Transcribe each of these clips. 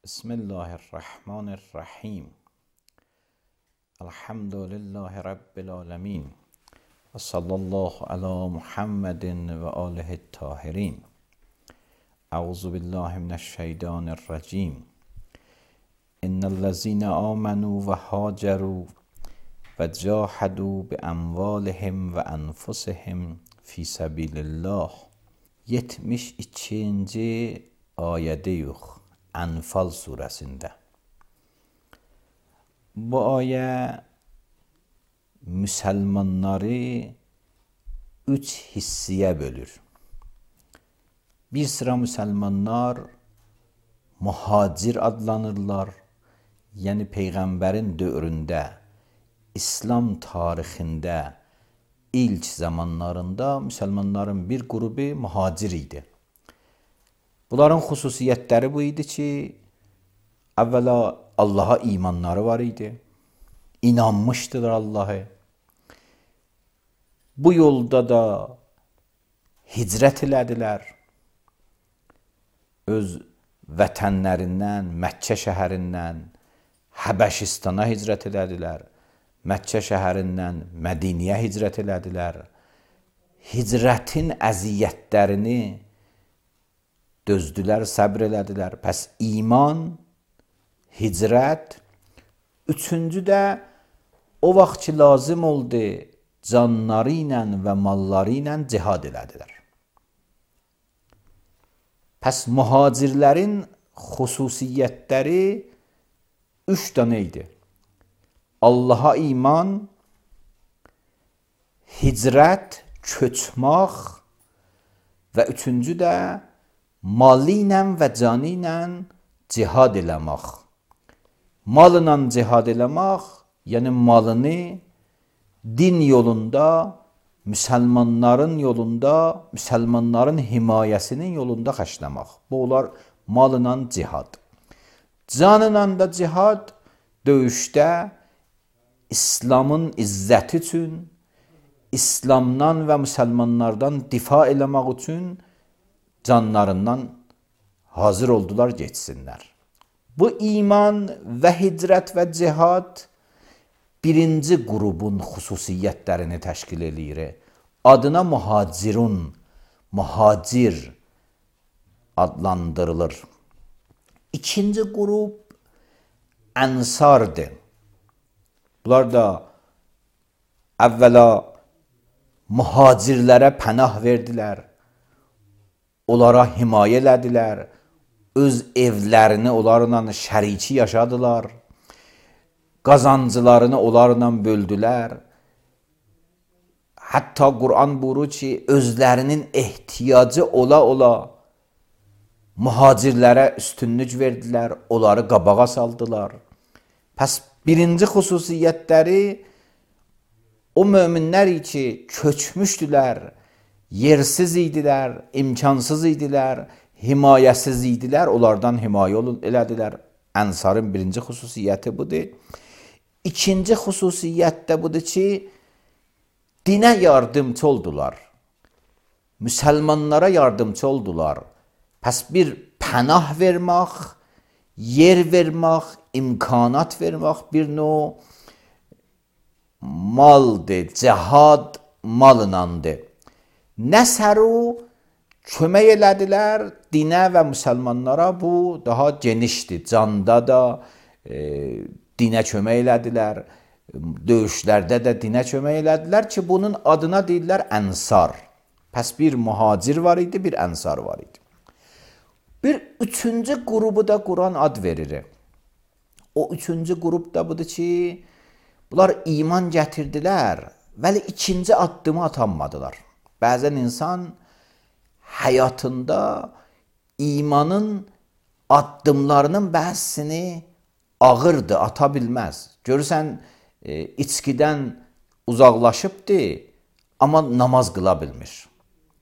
Bismillahirrahmanirrahim. Elhamdülillahi Rabbil alemin. Ve sallallahu ala Muhammedin ve alihi tahirin. Euzu billahi mineşşeytanirracim. İnnellezine amenu ve haceru ve cahadu bi amvalihim ve enfusihim fi sabilillah. 72. ayədeyiz Ənfal surəsində. Bu ayə müsəlmanları 3 hissiyə bölür. Bir sıra müsəlmanlar muhacir adlanırlar. Yəni Peyğəmbərin dövründə, İslam tarixində ilk zamanlarında müsəlmanların bir qrupu muhacir idi. Bunların xüsusiyyətləri bu idi ki, əvvəla Allaha imanları var idi. İnanmışdılar Allah'a. Bu yolda da hicrət elədilər. Öz vətənlərindən, Məkkə şəhərindən Həbəşistana hicrət elədilər. Məkkə şəhərindən Mədiniyə hicrət elədilər. Hicrətin əziyyətlərini dözdülər, səbr elədilər. Pəs iman, hicrət, üçüncü də o vaxt ki lazım oldu, canları ilə və malları ilə cihad elədilər. Pəs mühacirlərin xüsusiyyətləri 3 dənə idi. Allaha iman, hicrət, köçmək və üçüncü də malı ilə və canı ilə cihad eləmək. Malına cihad eləmək, yəni malını din yolunda, müsəlmanların yolunda, müsəlmanların himayəsinin yolunda xərcləmək. Bu olar malına cihad. Canla da cihad döyüşdə İslamın izzəti üçün, İslamdan və müsəlmanlardan difa eləmək üçün canlarından hazır oldular geçsinlər. Bu iman və hicrət və cihad birinci qrubun xüsusiyyətlərini təşkil edir. Adına muhacirun, muhacir adlandırılır. İkinci qrub ənsardır. Bunlar da əvvəla muhacirlərə pənah verdilər. Onlara himayə elədilər. Öz evlərini onlarla şəriki yaşadılar. Qazancılarını onlarla böldülər. Hətta Quran buyurur ki, özlərinin ehtiyacı ola muhacirlərə üstünlük verdilər. Onları qabağa saldılar. Pəs birinci xüsusiyyətləri o möminlər ki, köçmüşdülər, yersiz idilər, imkansız idilər, himayəsiz idilər, onlardan himayə elədilər. Ənsarın birinci xüsusiyyəti budur. İkinci xüsusiyyət də budur ki, dinə yardımcı oldular. Müsəlmanlara yardımcı oldular. Pəs bir pənah vermək, yer vermək, imkanat vermək bir növ maldır, cihad malınandır. Nəsəru kömək elədilər dinə və müsəlmanlara, bu daha genişdir. Canda da dinə kömək elədilər, döyüşlərdə də dinə kömək elədilər ki, bunun adına deyirlər ənsar. Pəs bir muhacir var idi, bir ənsar var idi. Bir üçüncü qrubu da Quran ad verir. O üçüncü qrub da budur ki, bunlar iman gətirdilər, vəli ikinci addımı atanmadılar. Bəzən insan həyatında imanın addımlarının bəzisini ağırdır, ata bilməz. Görürsən, içkidən uzaqlaşıbdır, amma namaz qıla bilmir.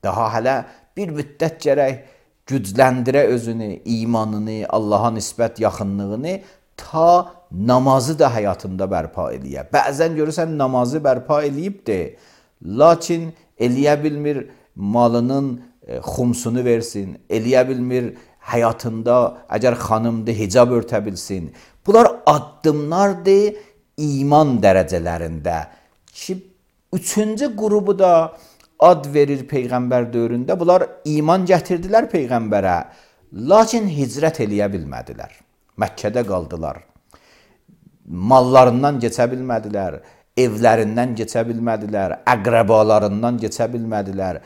Daha hələ bir müddət gərək gücləndirə özünü, imanını, Allaha nisbət yaxınlığını, ta namazı da həyatında bərpa eləyə. Bəzən görürsən, namazı bərpa eləyibdir, lakin eləyə bilmir malının xumsunu versin, eləyə bilmir həyatında əgər xanımdır, hicab örtə bilsin. Bunlar addımlardır iman dərəcələrində ki, üçüncü qrubu da ad verir Peyğəmbər dövründə. Bunlar iman gətirdilər Peyğəmbərə, lakin hicrət eləyə bilmədilər. Məkkədə qaldılar. Mallarından keçə bilmədilər, evlərindən keçə bilmədilər, əqrəbalarından keçə bilmədilər.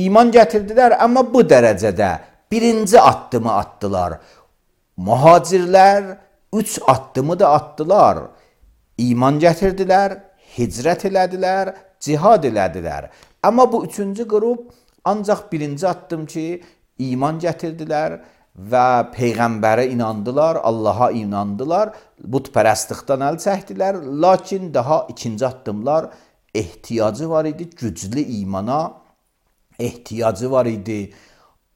İman gətirdilər, amma bu dərəcədə birinci addımı atdılar. Mühacirlər 3 addımı da atdılar. İman gətirdilər, hicrət elədilər, cihad elədilər. Amma bu üçüncü qrup ancaq birinci addım ki, iman gətirdilər və Peyğəmbərə inandılar, Allaha inandılar, butpərəstlikdən əl çəkdilər. Lakin daha ikinci addımlar ehtiyacı var idi, güclü imana ehtiyacı var idi,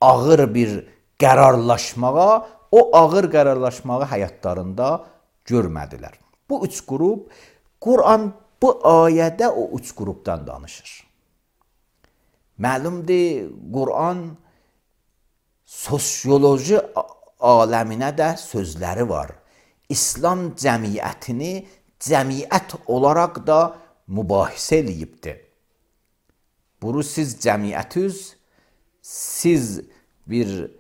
ağır bir qərarlaşmağa, o ağır qərarlaşmağı həyatlarında görmədilər. Bu üç qrup, Quran bu ayədə o üç qrupdan danışır. Məlumdur, Quran sosioloji aləminə də sözləri var. İslam cəmiyyətini cəmiyyət olaraq da mübahisə eləyibdir. Bunu siz cəmiyyətiz, siz bir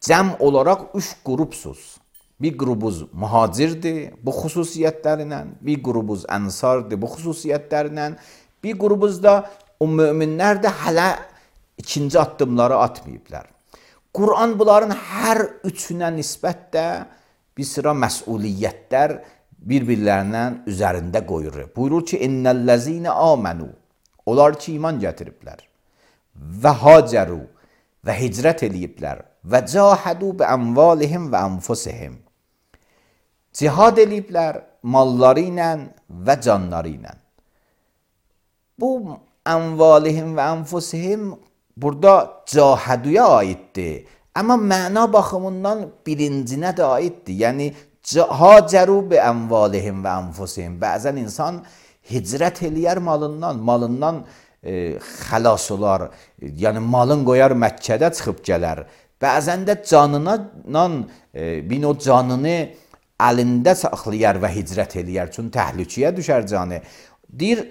cəm olaraq 3 qrupsuz. Bir qrubuz mühacirdir bu xüsusiyyətlərlə, bir qrubuz ənsardır bu xüsusiyyətlərlə, bir qrubuz da o möminlər də hələ ikinci addımları atmayıblar. Quran bunların hər üçünə nisbətdə bir sıra məsuliyyətlər bir-birlərindən üzərində qoyur. Buyurur ki, innellezine amenu, onlar ki iman gətiriblər və haceru və hicrət eləyiblər və cahadu bi amvalihim və anfusihim, cihad eləyiblər malları ilə və canları ilə. Bu amvalihim və anfusihim burada cahaduya aiddir. Amma məna baxımından birincinə də aiddir. Yəni, haceru bi amvalihim və anfusihim. Bəzən insan hicrət eləyər malından xəlas olar. Yəni, malın qoyar Məkkədə çıxıb gələr. Bəzən də canından, o canını əlində saxlayar və hicrət eləyər. Çünki təhlükəyə düşər canı. Deyir,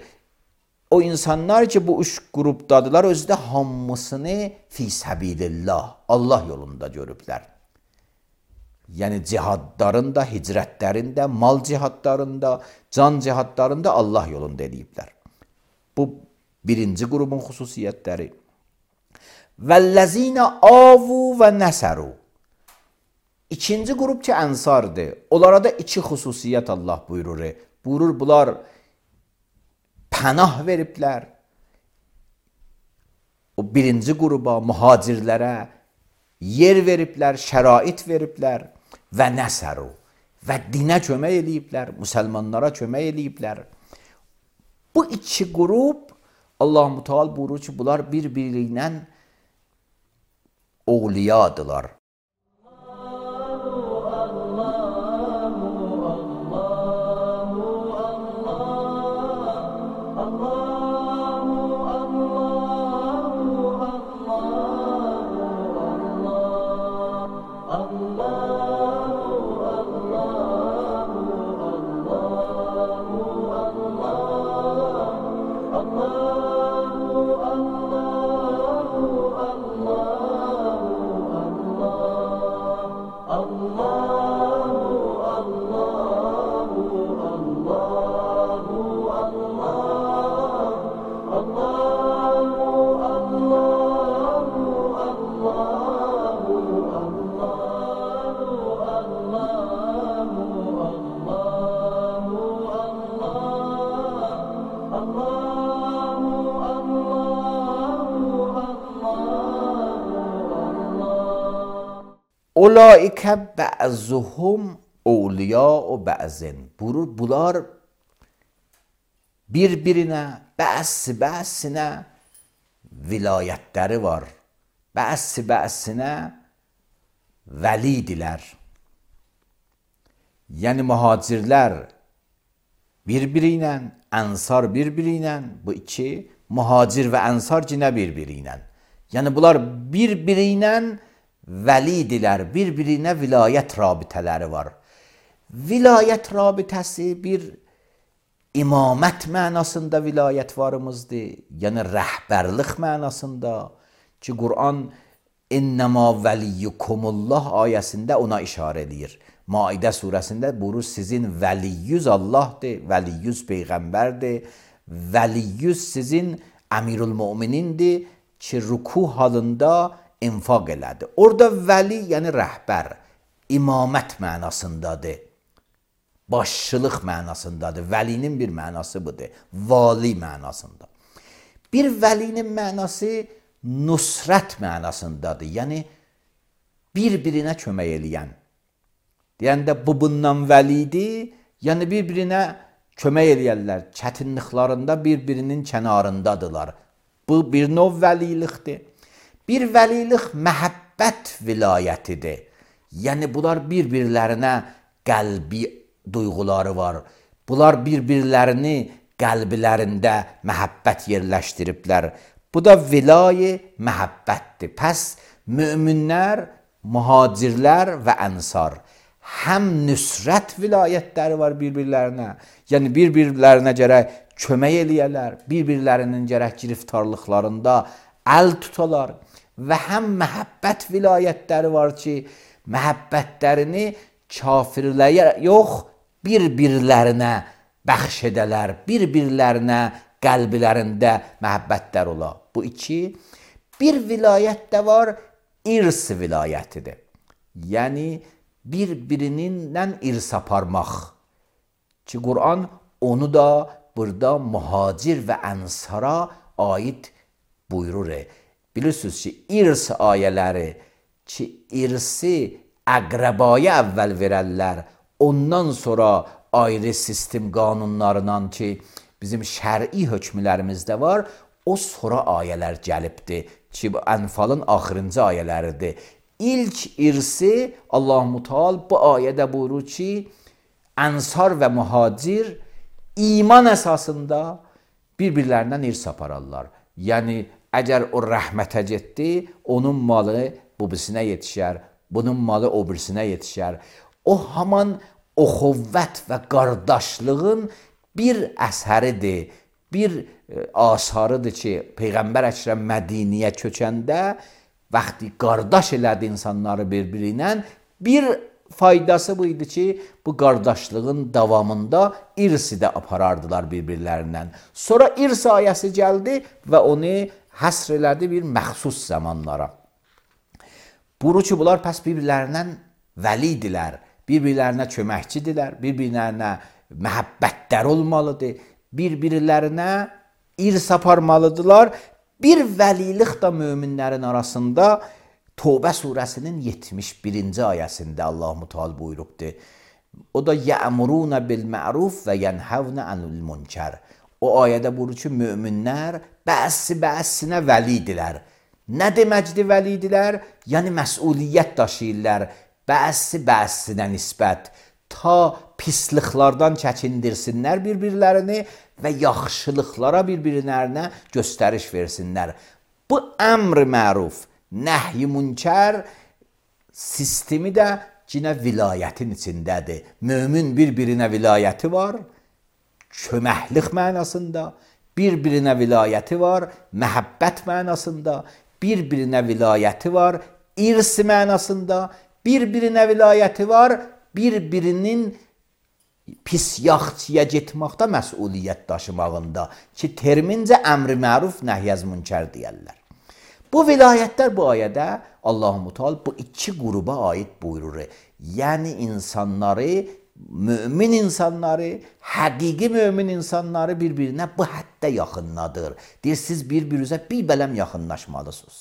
o insanlar ki, bu 3 qrupdadılar, özü də hamısını fi səbilillah, Allah yolunda görüblər. Yəni, cihadlarında, hicrətlərində, mal cihadlarında, can cihadlarında Allah yolunda eləyiblər. Bu birinci qrubun xüsusiyyətləri. Vəllezine avu və nəsəru. İkinci qrup ki, ənsardır. Onlara da 2 xüsusiyyət Allah buyurur. Buyurur, bunlar pənah veriblər. O birinci qruba, mühacirlərə yer veriblər, şərait veriblər və nəsəru və dinə kömək eləyiblər, müsəlmanlara kömək eləyiblər. Bu 2 qrup Allah-u Teala buyurur ki, bunlar bir-biri ilə oğliyadılar. Ulaikə bə'zuhum əvliya'u bə'zin. Buyurur, bunlar bir-birinə, bə'sinə vilayətləri var. Bə'sinə vəlidilər. Yəni, mühacirlər bir-biri ilə, ənsar bir-biri ilə, bu 2, mühacir və ənsar cinə bir-biri ilə. Yəni, bunlar bir-biri ilə vəlidirlər, bir-birinə vilayət rabitələri var. Vilayət rabitəsi bir imamət mənasında vilayət varımızdır, yəni rəhbərlik mənasında ki, Quran İnnəmə vəliyyukumullah ayəsində ona işarə edir. Maidə surəsində buyurur, sizin vəliyyüz Allahdır, vəliyyüz Peyğəmbərdir, vəliyyüz sizin əmirül müminindir ki, ruku halında infaq elədi. Orada vəli yəni rəhbər, imamət mənasındadır, başçılıq mənasındadır. Vəlinin bir mənası budur, vali mənasında. Bir vəlinin mənası nusrət mənasındadır, yəni bir-birinə kömək eləyən. Deyəndə bu bundan vəlidir, yəni bir-birinə kömək eləyərlər, çətinliklərində bir-birinin kənarındadılar. Bu bir növ vəlilikdir. Bir vəlilik məhəbbət vilayətidir. Yəni bunlar bir-birlərinə qəlbi duyğuları var. Bunlar bir-birlərini qəlblərində məhəbbət yerləşdiriblər. Bu da vilayə məhəbbətdir. Pəs möminlər, mühacirlər və ənsar həm nüsrət vilayətləri var bir-birlərinə, yəni bir-birlərinə gərək kömək eləyərlər, bir-birlərinin gərək giriftarlıqlarında əl tutalar və həm məhəbbət vilayətləri var ki, məhəbbətlərini kafirlərə yox, bir-birlərinə bəxş edələr, bir-birlərinə qəlblərində məhəbbətlər ola. Bu iki, bir vilayət də var, irs vilayətidir. Yəni, bir-birindən irs aparmaq ki, Quran onu da burada mühacir və ənsara aid buyurur. Bilirsiniz ki, irs ayələri ki, irsi əqrəbaya əvvəl verərlər, ondan sonra ayrı sistem qanunlarından ki, bizim şəri hökmlərimizdə var, o sonra ayələr gəlibdir ki, Ənfalın axırıncı ayələridir. İlk irsi Allah-u Teala bu ayədə buyurur ki, ənsar və mühacir iman əsasında bir-birlərindən irs apararlar. Yəni, əgər o rəhmətə getdi, onun malı bu birisinə yetişər, bunun malı o birisinə yetişər. O haman oxuvvət və qardaşlığın bir əsəridir, bir asarıdır ki, Peyğəmbər Əkrəm Mədiniyə köçəndə vaxtı qardaş elədi insanları bir-birinə, bir faydası bu idi ki, bu qardaşlığın davamında irsi də aparardılar bir-birlərindən. Sonra irs ayəsi gəldi və onu həsr elədi bir məxsus zamanlara. Buyurur ki, bunlar pəs bir-birlərindən vəlidirlər, bir-birlərinə köməkçidirlər, bir-birlərinə məhəbbətlər olmalıdır, bir-birlərinə irs aparmalıdırlar. Bir vəlilik də möminlərin arasında Tövbə surəsinin 71-ci ayəsində Allah-u Teala buyurubdur. O da yəmuruna bil ma'ruf və yenhavna anil munkar. O ayədə buyurur ki, möminlər bəzi-bəzisinə vəlidirlər. Nə deməkdir vəlidirlər? Yəni məsuliyyət daşıyırlar bəzi-bəzisinə nisbət. Ta pisliklərdən çəkindirsinlər bir-birlərini və yaxşılıqlara bir-birlərinə göstəriş versinlər. Bu əmr məruf, nəhy münkər sistemi də yine vilayətin içindədir. Mömin bir-birinə vilayəti var, köməklik mənasında, bir-birinə vilayəti var, məhəbbət mənasında, bir-birinə vilayəti var, irs mənasında, bir-birinə vilayəti var, bir-birinin pis yaxçıya getməkdə məsuliyyət daşımağında ki, termincə əmr-i məruf, nəhy-əz münkər deyərlər. Bu vilayətlər bu ayədə Allah-u Teala bu iki qruba aid buyurur. Yəni insanları, mümin insanları, həqiqi mümin insanları bir-birinə bu həddə yaxınladır. Deyir, siz bir-birinizə bir bələm yaxınlaşmalısınız.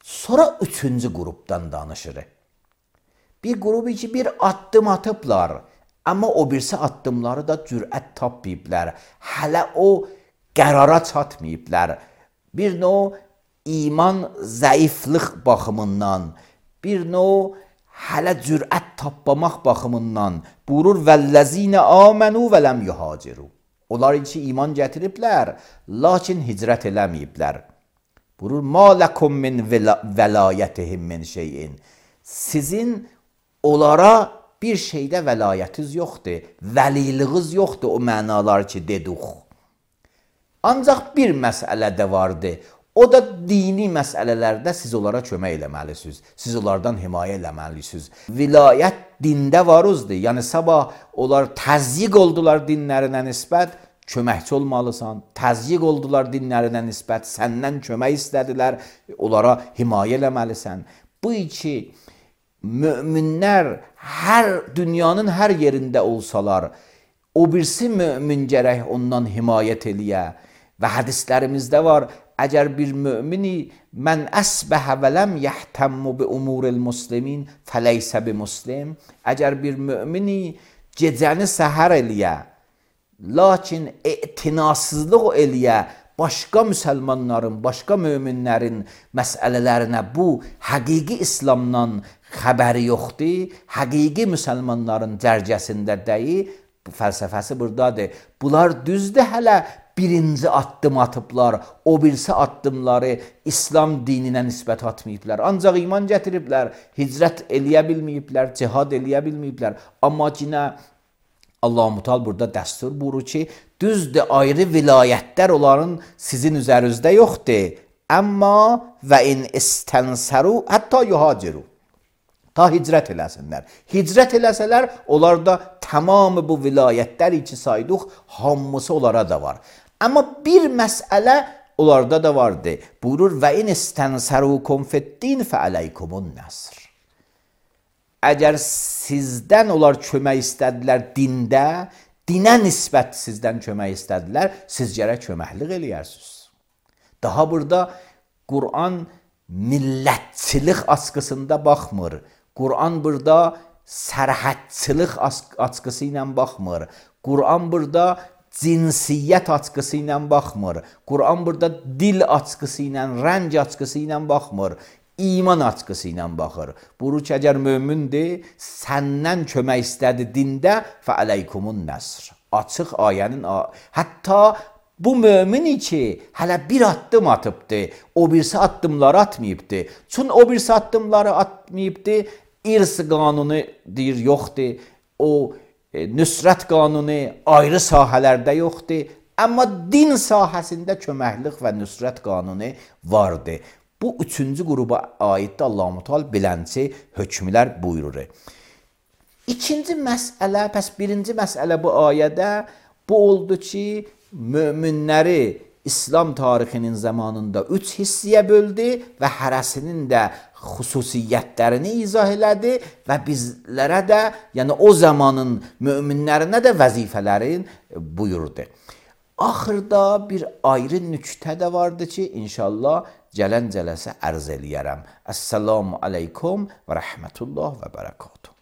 Sonra üçüncü qrupdan danışır. Bir qrubu ki, bir addım atıblar, amma o birisi addımları da cürət tapmayıblar. Hələ o qərara çatmayıblar. Bir növ iman zəiflik baxımından, bir növ hələ cürət tapmamaq baxımından buyurur vəllezine amenu və lem yuhaciru. Onlar ki iman gətiriblər, lakin hicrət eləməyiblər. Buyurur, ma lekum min velayetihim min şeyin. Sizin onlara bir şeydə vəlayətiniz yoxdur, vəliliğiniz yoxdur o mənalar ki dedik. Ancaq bir məsələ də vardır. O da dini məsələlərdə siz onlara kömək eləməlisiniz. Siz onlardan himayə eləməlisiniz. Vilayət dində varızdır. Yəni sabah onlar təzyiq oldular dinlərinə nisbət, köməkçi olmalısan. Təzyiq oldular dinlərinə nisbət, səndən kömək istədilər, onlara himayə eləməlisən. Bu iki möminlər dünyanın hər yerində olsalar, o birisi mömin gərək ondan himayət eləyə. Və hədislərimizdə var, əgər bir mümini mən əsbəhə və ləm yəhtemmu bi umuril muslimin fəleysə bi muslim, əgər bir mümini gecəni səhər eləyə, lakin etinasızlıq eləyə, başqa müsəlmanların, başqa möminlərin məsələlərinə bu həqiqi İslamdan xəbəri yoxdur, həqiqi müsəlmanların cərgəsində deyil, bu fəlsəfəsi buradadır. Bunlar düzdür, hələ birinci addım atıblar, o birisi addımları İslam dininə nisbət atmayıblar. Ancaq iman gətiriblər, hicrət eləyə bilməyiblər, cihad eləyə bilməyiblər. Amma yine Allah-u Teala burada dəstur buyurur ki, düzdür, ayrı vilayətlər onların sizin üzərinizdə yoxdur. Amma və in istənsaru hətta yuhaciru. Ta hicrət eləsinlər. Hicrət eləsələr, onlarda tamamı bu vilayətlər içi saydıq, hamısı onlara da var. Amma bir məsələ onlarda da vardı. Buyurur, və in istənsarukum fiddin fəaleykumun nəsr. Əgər sizdən onlar kömək istədilər dində, dinə nisbət sizdən kömək istədilər, siz gərək köməklik eləyərsiniz. Daha burada Qur'an millətçilik askısında baxmır. Qur'an burada sərhədçilik askısı ilə baxmır. Qur'an burada cinsiyyət askısı ilə baxmır. Qur'an burada dil askısı ilə, rəng askısı ilə baxmır. İman askısı ilə baxır. Buyurur ki, əgər mömindir, səndən kömək istədi dində, fəaleykumun nəsr. Açıq ayənin, hətta bu mömin ki, hələ bir addım atıbdır, o birisi addımları atmayıbdır. Çünki o birisi addımları atmayıbdır, İrs qanunu deyir, yoxdur, o nüsrət qanunu ayrı sahələrdə yoxdur, amma din sahəsində köməklik və nüsrət qanunu vardır. Bu üçüncü qruba aiddir Allah-u Teala bilənci hökmlər buyurur. İkinci məsələ, pəs birinci məsələ bu ayədə bu oldu ki, möminləri İslam tarixinin zamanında üç hissiyə böldü və hərəsinin də xüsusiyyətlərini izah elədi və bizlərə də, yəni o zamanın möminlərinə də vəzifələrin buyurdu. Axırda bir ayrı nüktə də vardı ki, inşallah gələn cələsə ərz eləyərəm. Əssalamu aleykum və rəhmətullah və bərəkatuhu.